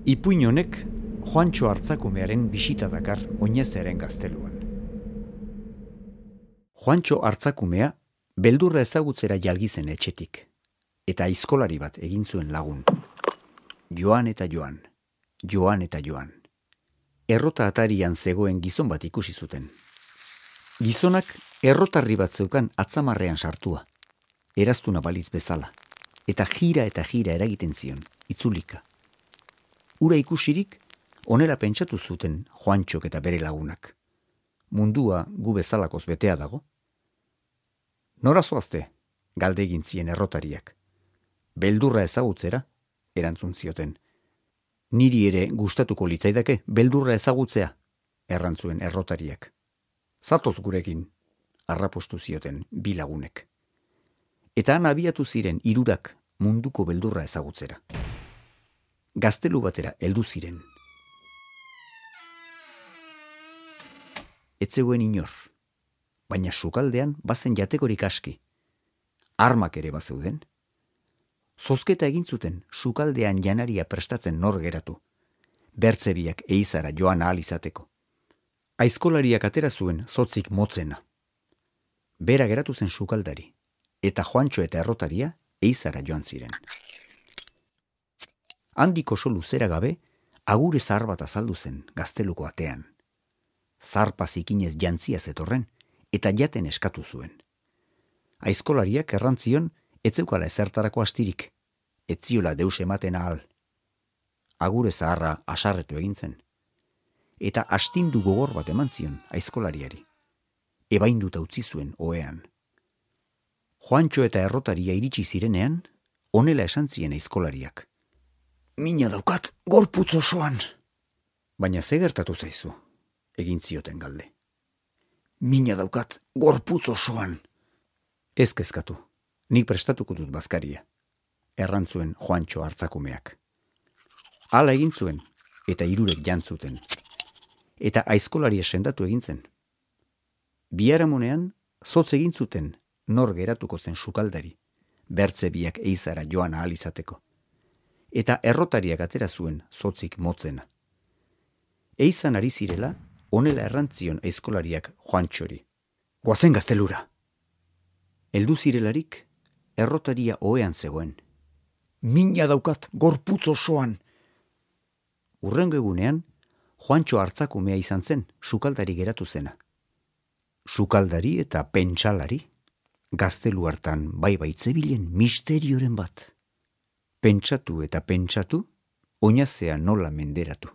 Ipuin honek Juantxo Hartzakumearen bisita dakar Oinezeren gazteluan. Juantxo Hartzakumea beldurra ezagutzera jalgizen etxetik, eta aizkolari bat egin zuen lagun. Joan eta joan, joan eta joan. Errota atarian zegoen gizon bat ikusi zuten. Gizonak errotarri bat zeukan atzamarrean sartua, eraztuna balitz bezala, eta jira eragiten zion, itzulika. Ura ikusirik, onera pentsatu zuten Juantxok eta bere lagunak. Mundua gu bezalakoz betea dago. Nora zoazte, galde egin zien errotariak. Beldurra ezagutzera, erantzun zioten. Niri ere gustatuko litzaidake beldurra ezagutzea, errantzuen errotariak. Zatoz gurekin, arrapostu zioten bi lagunek. Eta han abiatu ziren hirurak munduko beldurra ezagutzera. Gaztelu batera heldu ziren. Ez zegoen inor, baina sukaldean bazen jatekorik aski. Armak ere bazeuden. Zozketa egin zuten sukaldean janaria prestatzen nor geratu. Bertzebiak eizara joan ahal izateko. Aizkolariak atera zuen zotzik motzena. Bera geratu zen sukaldari, eta Juantxo eta errotaria eizara joan ziren. Handiko so luzera gabe, agure zahar bat azaldu zen gazteluko atean. Zarpa zikinez jantzia zetorren, eta jaten eskatu zuen. Aizkolariak errantzion, etzeukala ezertarako astirik, etziola deus ematen ahal. Agure zaharra asarretu egin zen, eta astindu gogor bat eman zion aizkolariari. Ebainduta utzi zuen ohean. Juantxo eta errotaria iritsi zirenean, honela esan zien aizkolariak. Mina daukat gorputz osoan. Baina ze gertatu zaizu, egin zioten galde. Mina daukat gorputz osoan. Ez kezkatu, nik prestatuko dut bazkaria, errantzuen Juantxo Hartzakumeak. Hala egin zuen, eta hirurek jantzuten. Eta aizkolaria sendatu egin zen. Biharamunean, zotz egin zuten nor geratuko zen sukaldari, bertzebiak eizara joan ahal izateko. Eta errotariak atera zuen zotzik motzena. Eizan ari zirela, honela errantzion aizkolariak Juantxori. Goazen gaztelura! Heldu zirelarik, errotaria ohean zegoen. Mina daukat gorputz osoan! Hurrengo egunean, Juantxo Hartzakumea izan zen sukaldari geratu zena. Sukaldari eta pentsalari, gaztelu hartan bai zebilen misterioren bat. Pentsatu eta pentsatu, oinazea nola menderatu.